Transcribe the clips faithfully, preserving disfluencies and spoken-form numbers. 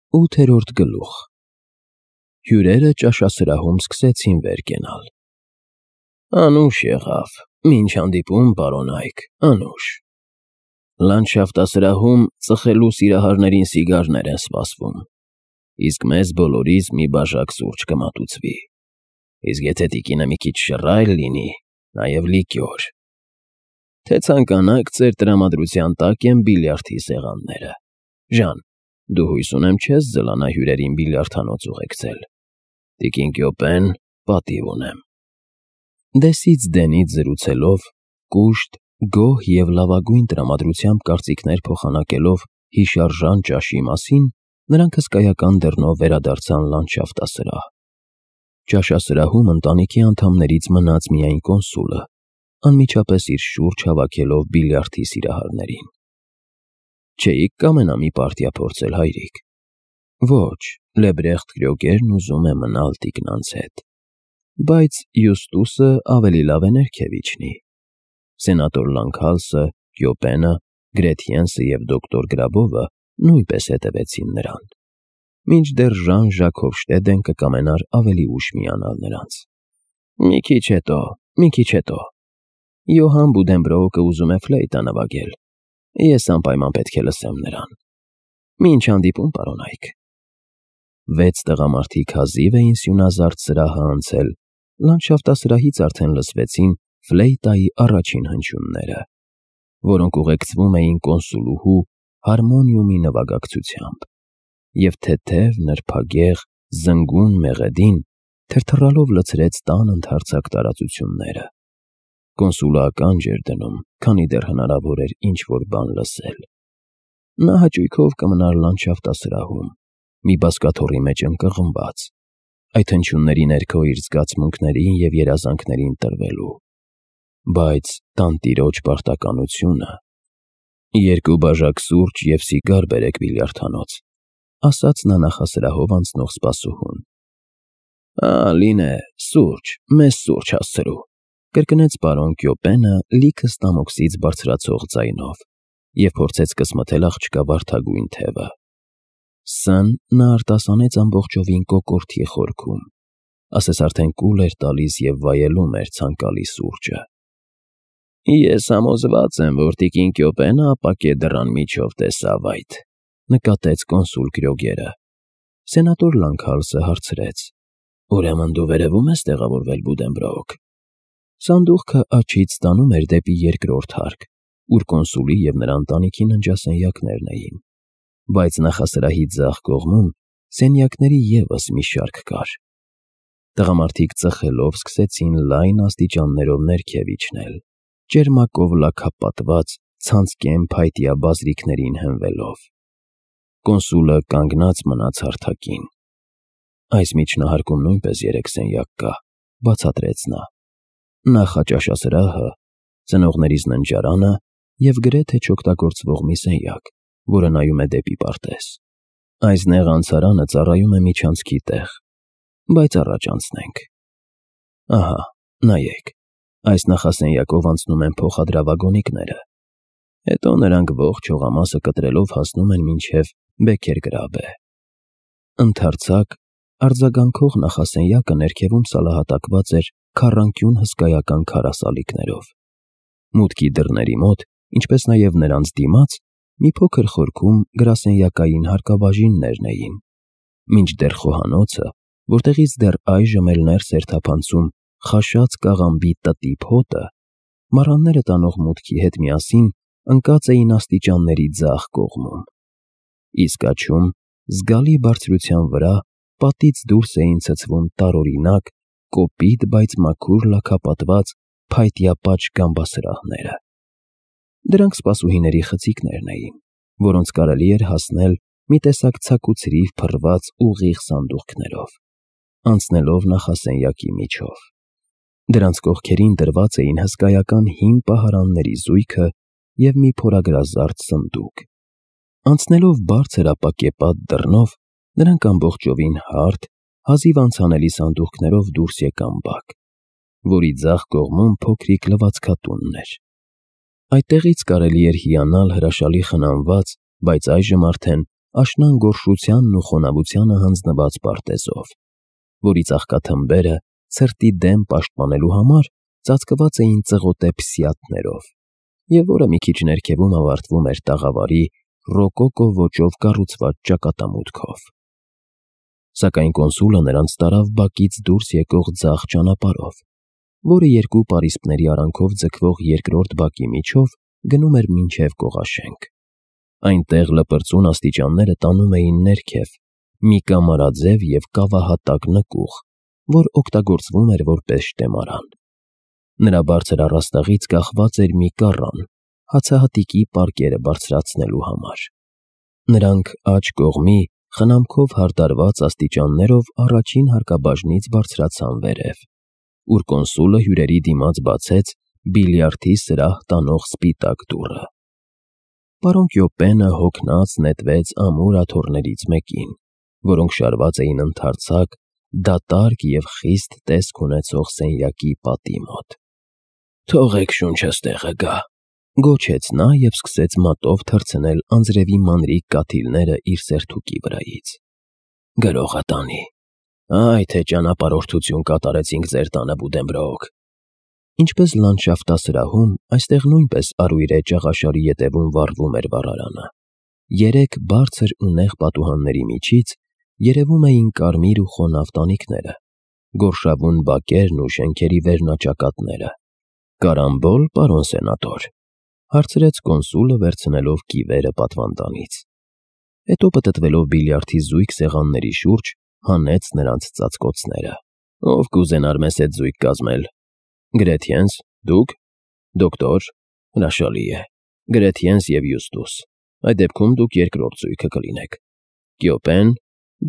Ութերորդ գլուխ Հյուրերը ճաշասրահում սկսեցին վեր կենալ։ Անուշ եղավ, մինչ հանդիպում, պարոն Այք, անուշ։ Լանդշաֆտասրահում ծխելու սիրահարներին սիգարներ են սպասվում, իսկ մեզ բոլորիս մի բաժակ սուրճ կմատուցվի, իսկ եթե տիկինը մի քիչ շռայլ լինի, նաև լիկյոր։ Թե ցանկանաք, ձեր տրամադրության տակ են բիլիարդի սեղանները։ Ժան, դու հույս ունեմ չես ձլանա հյուրերին բիլիարդանոց ուղեկցել։ Տիկին Կյոպեն, պատիվ ունեմ։ Դեսից դենից զրուցելով, կուշտ, գոհ և լավագույն տրամադրությամբ կարծիքներ փոխանակելով հիշարժան ճաշի մասին, նրանք հսկայական դռնով վերադարձան լանդշաֆտասրահ։ Ճաշասրահում ընտանիքի անդամներից մնաց միայն կոնսուլը, անմիջապես իր շուրջ հավաքելով բիլիարդի սիրահարներին։ Չէիք կամենա մի պարտիա փորձել, հայրիկ։ Ոչ, Լեբրեխտ Կրյոգերն ուզում է մնալ տիկնանց հետ։ Բայց Յուստուսը ավելի լավ է ներքև իջնի։ Սենատոր Լանքհալսը, Կյոպենը, Գրեթյենսը և դոկտոր Գրաբովը նույնպես հետևեցին նրան։ Մինչդեռ Ժան Ժակ Հոֆշտեդեն կկամենար ավելի ուշ միանալ նրանց։ Մի քիչ հետո, մի քիչ հետո։ Յոհան Բուդենբրոուկը ուզում է ֆլեյտա նվագել։ Ես անպայման պետք է լսեմ նրան։ Մինչ հանդիպում, պարոն Այք։ Վեց տղամարդիկ հազիվ էին սյունազարդ սրահը անցել, լանդշաֆտասրահից արդեն լսվեցին ֆլեյտայի առաջին հնչյունները, որոնք ուղեկցվում էին կոնսուլուհու հարմոնիումի նվագակցությամբ, և թեթև, նրբագեղ, զնգուն մեղեդին թրթռալով լցրեց տան ընդարձակ տարածությունները։ Կոնսուլը ականջ էր դնում, քանի դեռ հնարավոր էր ինչ-որ բան լսել։ Նա հաճույքով կմնար լանդշաֆտասրահում, մի բազկաթոռի մեջ ընկղմված, այդ հնչյունների ներքո իր զգացմունքներին և երազանքներին տրվելու։ Բայց տանտիրոջ պարտականությունը… Երկու բաժակ սուրճ և սիգար բերեք բիլիարդանոց, ասաց նա նախասրահով անցնող սպասուհուն։ Ա, լինե, սուրճ, մեզ սուրճ հասցրու, կրկնեց պարոն Կյոպենը լիքը ստամոքսից բարձրացող ձայնով և փորձեց կսմթել աղջկա վարդագույն թևը։ Ս֊ն նա արտասանեց ամբողջովին կոկորդի խորքում, ասես արդեն կուլ էր տալիս և վայելում էր ցանկալի սուրճը։ Ես համոզված եմ, որ տիկին Կյոպենը ապակե դռան միջով տեսավ այդ, նկատեց կոնսուլ Կրյոգերը։ Սենատոր Լանքհալսը հարցրեց. Ուրեմն դու վերևում ես տեղավորվել, Բուդենբրոուկ։ Սանդուղքը աջից տանում էր դեպի երկրորդ հարկ, ուր կոնսուլի և նրա ընտանիքի ննջասենյակներն էին, բայց նախասրահի ձախ կողմում սենյակների ևս մի շարք կար։ Տղամարդիկ ծխելով սկսեցին լայն աստիճաններով ներքև իջնել, ճերմակով լաքապատված, ցանցկեն փայտյա բազրիքներին հենվելով։ Կոնսուլը կանգնած մնաց հարթակին։ Այս միջնահարկում նույնպես երեք սենյակ կա, բացատրեց նա։ Նախաճաշասրահը, ծնողներիս ննջարանը և գրեթե չօգտագործվող մի սենյակ, որը նայում է դեպի պարտեզ։ Այս նեղ անցարանը ծառայում է միջանցքի տեղ, բայց առաջ անցնենք։ Ահա, նայեք, այս նախասենյակով անցնում են փոխադրավագոնիկները, հետո նրանք ողջ հողամասը կտրելով հասնում են մինչև Բեքերգրաբե։ Ընդարձակ, արձագանքող նախասենյակը ներքևում սալահատակված էր քառանկյուն հսկայական քարասալիկներով։ Մուտքի դռների մոտ, ինչպես նաև նրանց դիմաց, մի փոքր խորքում գրասենյակային հարկաբաժիններն էին, մինչդեռ խոհանոցը, որտեղից դեռ այժմ էլ ներս էր թափանցում խաշած կաղամբի տտիպ հոտը, մառանները տանող մուտքի հետ միասին ընկած էին աստիճանների ձախ կողմում։ Իսկ աջում, զգալի բարձրության վրա, պատից դուրս էին ցցվում տարօրինակ, կոպիտ, բայց մաքուր լաքապատված փայտյա պատշգամբ գամբասրահները։ Դրանք սպասուհիների խցիկներն էին, որոնց կարելի էր հասնել մի տեսակ ցաքուցրիվ փռված ուղիղ սանդուղքներով, անցնելով նախասենյակի միջով։ Դրանց կողքերին դրված էին հսկայական հին պահարանների զույգը և մի փորագրազարդ սնդուկ։ Անցնելով բարձր ապակեպատ դռնով, նրանք ամբողջովին հարթ, հազիվ անցանելի սանդուղքներով դուրս եկան բակ, որի ձախ կողմում փոքրիկ լվացքատունն էր։ Այդտեղից կարելի էր հիանալ հրաշալի խնամված, բայց այժմ արդեն աշնան գորշությանն ու խոնավությանը հանձնված պարտեզով, որի ծաղկաթմբերը ցրտի դեմ պաշտպանելու համար ծածկված էին ծղոտե փսիաթներով, և որը մի քիչ ներքևում ավարտվում էր տաղավարի ռոկոկո ոճով կառուցված ճակատամուտքով։ Սակայն կոնսուլը նրանց տարավ բակից դուրս եկող ձախ ճանապարհով, որը երկու պարիսպների արանքով ձգվող երկրորդ բակի միջով գնում էր մինչև կողաշենք։ Այնտեղ լպրծուն աստիճանները տանում էին ներքև մի կամարաձև և կավահատակ նկուղ, որ օգտագործվում էր որպես շտեմարան։ Նրա բարձր առաստաղից կախված էր մի կառան հացահատիկի պարկերը բարձրացնելու համար։ Նրանք աջ կողմի խնամքով հարդարված աստիճաններով առաջին հարկաբաժնից բարձրացան վերև, ուր կոնսուլը հյուրերի դիմաց բացեց բիլիարդի սրահ տանող սպիտակ դուռը։ Պարոն Կյոպենը հոգնած նետվեց ամուր աթոռներից մեկին, որոնք շարված էին ընդարձակ, դատարկ և խիստ տեսք ունեցող սենյակի պատի մոտ։ «Թողեք շունչս տեղը գա», գոչեց նա և սկսեց մատով թռցնել անձրևի մանրիկ կաթիլները իր սերթուկի վրայից։ «Գրողը տանի։ Այ թե ճանապարհորդություն կատարեցինք ձեր տանը, Բուդենբրոկ»։ Ինչպես լանդշաֆտասրահում, այստեղ նույնպես արույր ճաղաշարի ետևում վառվում էր վառարանը։ Երեք բարձր ու նեղ պատուհանների միջից երևում էին կարմիր ու խոնավ տանիքները, գորշավուն բակերն ու շենքերի վերնաճակատները։ «Կարամբո՞լ, պարոն սենատոր», հարցրեց կոնսուլը, վերցնելով կիվերը պատվանդանից։ Հետո պտտվելով բիլիարդի զույգ սեղանների շուրջ, հանեց նրանց ծածկոցները։ «Ով կուզենար մեզ հետ զույգ կազմել։ Գրեթյենս, դուք, դոկտոր, հրաշալի է, Գրեթյենս և Յուստուս, այդ դեպքում դուք երկրորդ զույգը կլինեք։ Կյոպեն,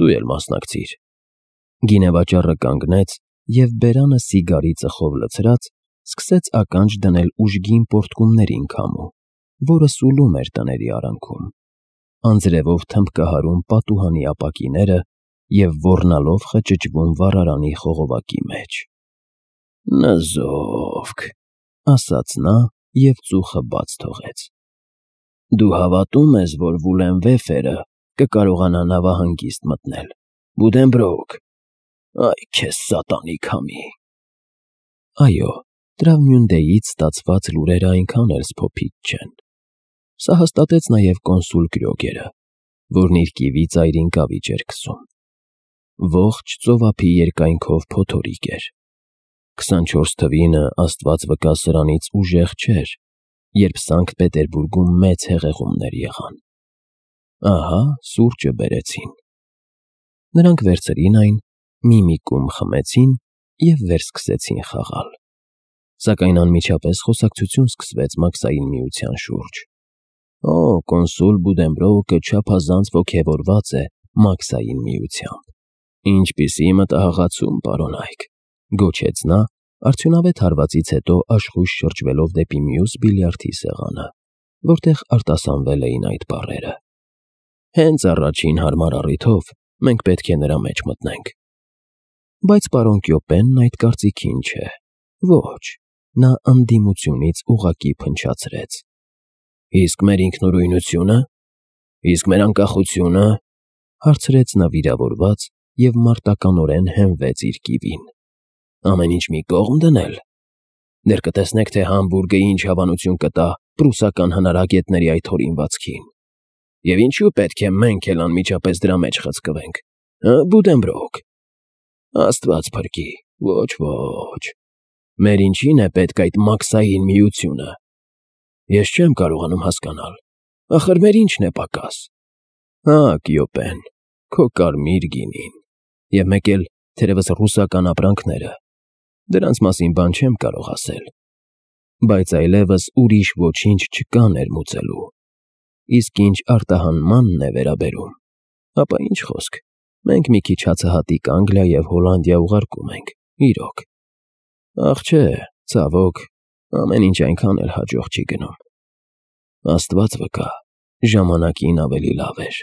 դու էլ մասնակցիր»։ Գինեվաճառը կանգնեց և բերանը սիգարի ծխով լցրած սկսեց ականջ դնել ուժգին պոռթկումներին քամու, որը սուլում էր տների արանքում, անձրևով թմբկահարում պատուհանի ապակիները և ոռնալով խճճվում վառարանի խողովակի մեջ։ «Նզովք», ասաց նա և ծուխը բաց թողեց։ «Դու հավատո՞ւմ ես, որ Վուլենվեֆերը կկարողանա նավահանգիստ մտնել, Բուդենբրոկ։ Այ քեզ սատանի քամի»։ Այո, Տրավմյունդեից ստացված լուրերը այնքան էլ սփոփիչ չեն։ Սա հաստատեց նաև կոնսուլ Կրյոգերը, որն իր կիվի ծայրին կավիճ էր քսում։ Ողջ ծովափի երկայնքով փոթորիկ էր։ Քսանչորս թվինը, Աստված վկա, սրանից ուժեղ չէր, երբ Սանկտ Պետերբուրգում մեծ հեղեղումներ եղան։ Ահա սուրճը բերեցին։ Նրանք վերցրին այն, մի-մի կում խմեցին և վերսկսեցին խաղալ։ Սակայն անմիջապես խոսակցություն սկսվեց Մաքսային միության շուրջ։ «Օ, կոնսուլ Բուդենբրոկը չափազանց ոգևորված է Մաքսային միությամբ»։ «Ինչպիսի մտահղացում, պարոնայք», գոչեց նա, արդյունավետ հարվածից հետո աշխույժ շրջվելով դեպի մյուս բիլիարդի սեղանը, որտեղ արտասանվել էին այդ բառերը։ «Հենց առաջին հարմար առիթով մենք պետք է նրա մեջ մտնենք»։ Բայց պարոն Կյոպենն այդ կարծիքին չէ։ Ոչ, նա ընդդիմությունից ուղղակի փնչացրեց։ «Իսկ մեր ինքնուրույնությո՞ւնը, իսկ մեր անկախությո՞ւնը», հարցրեց նա վիրավորված և մարտականորեն հենվեց իր կիվին։ «Ամեն ինչ մի կողմ դնել։ Դեռ կտեսնեք, թե Համբուրգը ինչ հավանություն կտա պրուսական հնարագետների այդ հորինվածքին։ Եվ ինչու պետք է մենք էլ անմիջապես դրա մեջ խցկվենք, հը, Բուդենբրոկ։ Աստված փրկի, ոչ, ոչ։ Մեր ինչին է պետք այդ Մաքսային միությունը։ Ես չեմ կարողանում հասկանալ, ախր մեր ինչն է պակաս։ Հա, Կյոպեն, քո կարմիր գինին, և մեկ էլ, թերևս, ռուսական ապրանքները, դրանց մասին բան չեմ կարող ասել։ Բայց այլևս ուրիշ ոչինչ չկա ներմուծելու։ Իսկ ինչ արտահանմանն է վերաբերում, ապա ինչ խոսք, մենք մի քիչ հացահատիկ Անգլիա և Հոլանդիա ուղարկում ենք, իրոք։ Ախ չէ, ցավոք, ամեն ինչ այնքան էլ հաջող չի գնում։ Աստված վկա, ժամանակին ավելի լավ էր։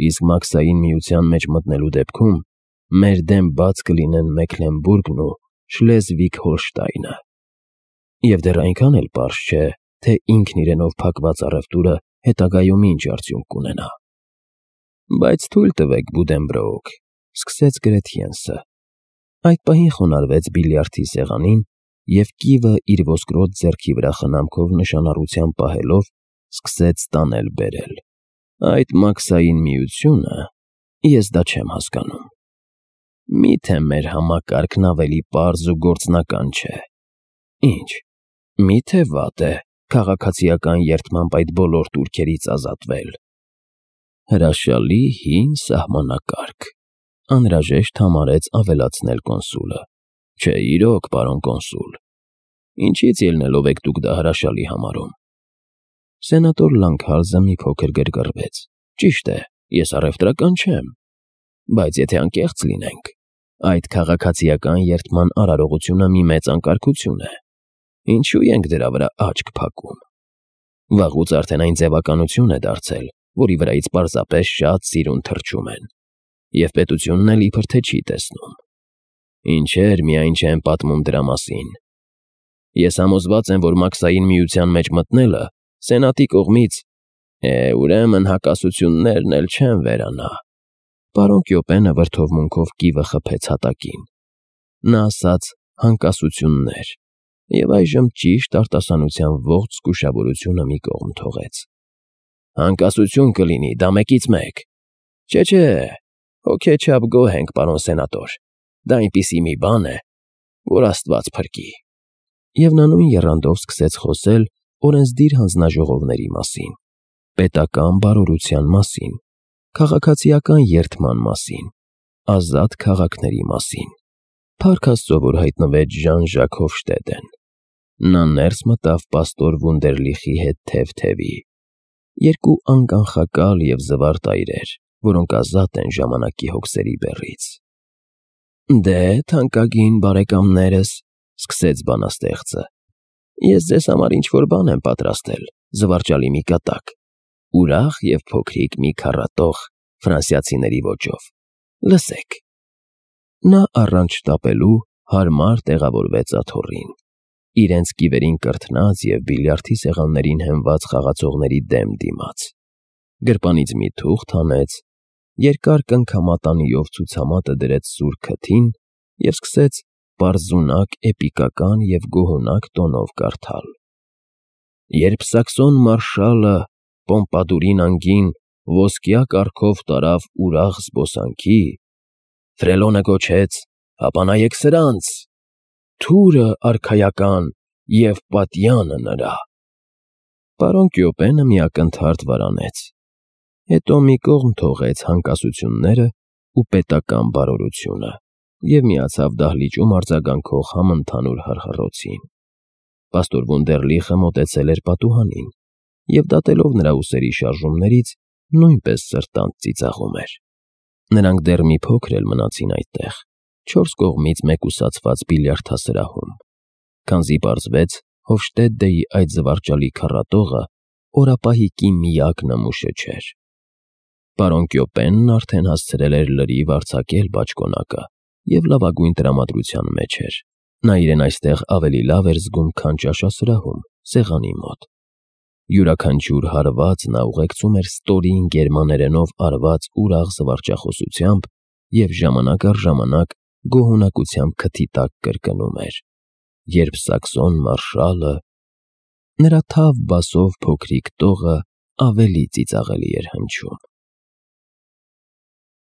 Իսկ Մաքսային միության մեջ մտնելու դեպքում մեր դեմ բաց կլինեն Մեքլենբուրգն ու Շլեզվիգ-Հոլշտայնը։ Եվ դեռ այնքան էլ պարզ չէ, թե ինքն իրենով փակված առևտուրը հետագայում ինչ արդյունք կունենա։ Բայց թույլ տվեք, Բուդենբրոուք,֊ սկսեց Գրեթյենսը։ Այդ պահին խոնարհվեց բիլիարդի սեղանին, և կիվը իր ոսկրոտ ձեռքի վրա խնամքով նշանառությամբ պահելով սկսեց տանել֊բերել։ Այդ մաքսային միությունը… Ես դա չեմ հասկանում։ Մի՞թե մեր համակարգն ավելի պարզ ու գործնական չէ։ Ի՞նչ, մի՞թե վատ է քաղաքացիական երդմամբ այդ բոլոր տուրքերից ազատվել։ Հրաշալի հին սահմանակարգ,֊ անհրաժեշտ համարեց ավելացնել կոնսուլը։ Չէ, իրոք, պարոն կոնսուլ, ինչի՞ց ելնելով եք դուք դա հրաշալի համարում։ Սենատոր Լանգհալզը մի փոքր գրգռվեց։ Ճիշտ է, ես առևտրական չեմ, բայց եթե անկեղծ լինենք, այդ քաղաքացիական երդման արարողությունը մի մեծ անկարգություն է։ Ինչու ենք դրա վրա աչք փակում։ Վաղուց արդեն այն ձևականություն է դարձել, որի վրայից պարզապես շատ սիրուն թռչում են, և պետությունն էլ իբր թե չի տեսնում։ Ինչեր միայն չեն պատմում դրա մասին։ Ես համոզված եմ, որ մաքսային միության մեջ մտնելը սենատի կողմից… Է, ուրեմն հակասություններն էլ չեն վերանա։ Պարոն Կյոպենը վրդովմունքով կիվը խփեց հատակին։ Նա ասաց հանկասություններ և այժմ ճիշտ արտասանության ողջ զգուշավորությունը մի կողմ թողեց։ Հանկասություն կլինի, դա մեկից մեկ։ Չէ՛, հոգեչափ գոհ ենք, պարոն սենատոր, դա այնպիսի մի բան է, որ աստված փրկի։ Եվ նա նույն եռանդով սկսեց խոսել օրենսդիր հանձնաժողովների մասին, պետական բարօրության մասին, քաղաքացիական երդման մասին, ազատ քաղաքների մասին։ Փառք Աստծո, որ հայտնվեց Ժան֊Ժակ Հոֆշտեդեն։ Նա ներս մտավ պաստոր Վունդերլիխի հետ թև֊թևի։ Երկու անկանխակալ և զվարթ այրեր, որոնք ազատ են ժամանակի հոգսերի բեռից։ Դե, թանկագին բարեկամներս,֊ սկսեց բանաստեղծը,֊ ես ձեզ համար ինչ֊որ բան եմ պատրաստել, զվարճալի մի կատակ, ուրախ և փոքրիկ մի քառատող ֆրանսիացիների ոճով։ Լսեք։ Նա առանց շտապելու հարմար տեղավորվեց աթոռին, իրենց կիվերին կրթնած և բիլիարդի սեղաններին հենված խաղացողների դեմ դիմաց, գրպանից մի թուղթ հանեց, երկար կնքամատանիով ցուցամատը դրեց սուր քթին և սկսեց պարզունակ էպիկական և գոհունակ տոնով կարդալ. Երբ սաքսոն մարշալը Պոմպադուրին անգին ոսկյա կառքով տարավ ուրախ զբոսանքի, Ֆրելոնը գոչեց. «Հապա նայեք սրանց, թուրը արքայական և պատյանը նրա»։ Պարոն Կյոպենը մի ակնթարթ վարանեց, հետո մի կողմ թողեց հանկասություններն ու պետական բարօրությունը և միացավ դահլիճում արձագանքող համընդհանուր հռհռոցին։ Պաստոր Վունդերլիխը մոտեցել էր պատուհանին և, դատելով նրա ուսերի շարժումներից, նույնպես սրտանց ծիծաղում էր։ Նրանք դեռ մի փոքր էլ մնացին այդտեղ, չորս կողմից մեկուսացված բիլիարդասրահում, քանզի պարզվեց Հոֆշտեդեի այդ զվարճալի քառատողը օրապահիկի միակ նմուշը չէր։ Պարոն Կյոպենն արդեն հասցրել էր լրիվ արձակել բաճկոնակը և լավագույն տրամադրության մեջ էր։ Նա իրեն այստեղ ավելի լավ էր զգում, քան ճաշասրահում, սեղանի մոտ։ Յուրաքանչյուր հարված նա ուղեկցում էր ստորին գերմաներենով արված ուրախ զվարճախոսությամբ և ժամանակ առ ժամանակ գոհունակությամբ քթի տակ կրկնում էր. «Երբ սաքսոն մարշալը…» Նրա թավ բասով փոքրիկ տողը ավելի ծիծաղելի էր հնչում։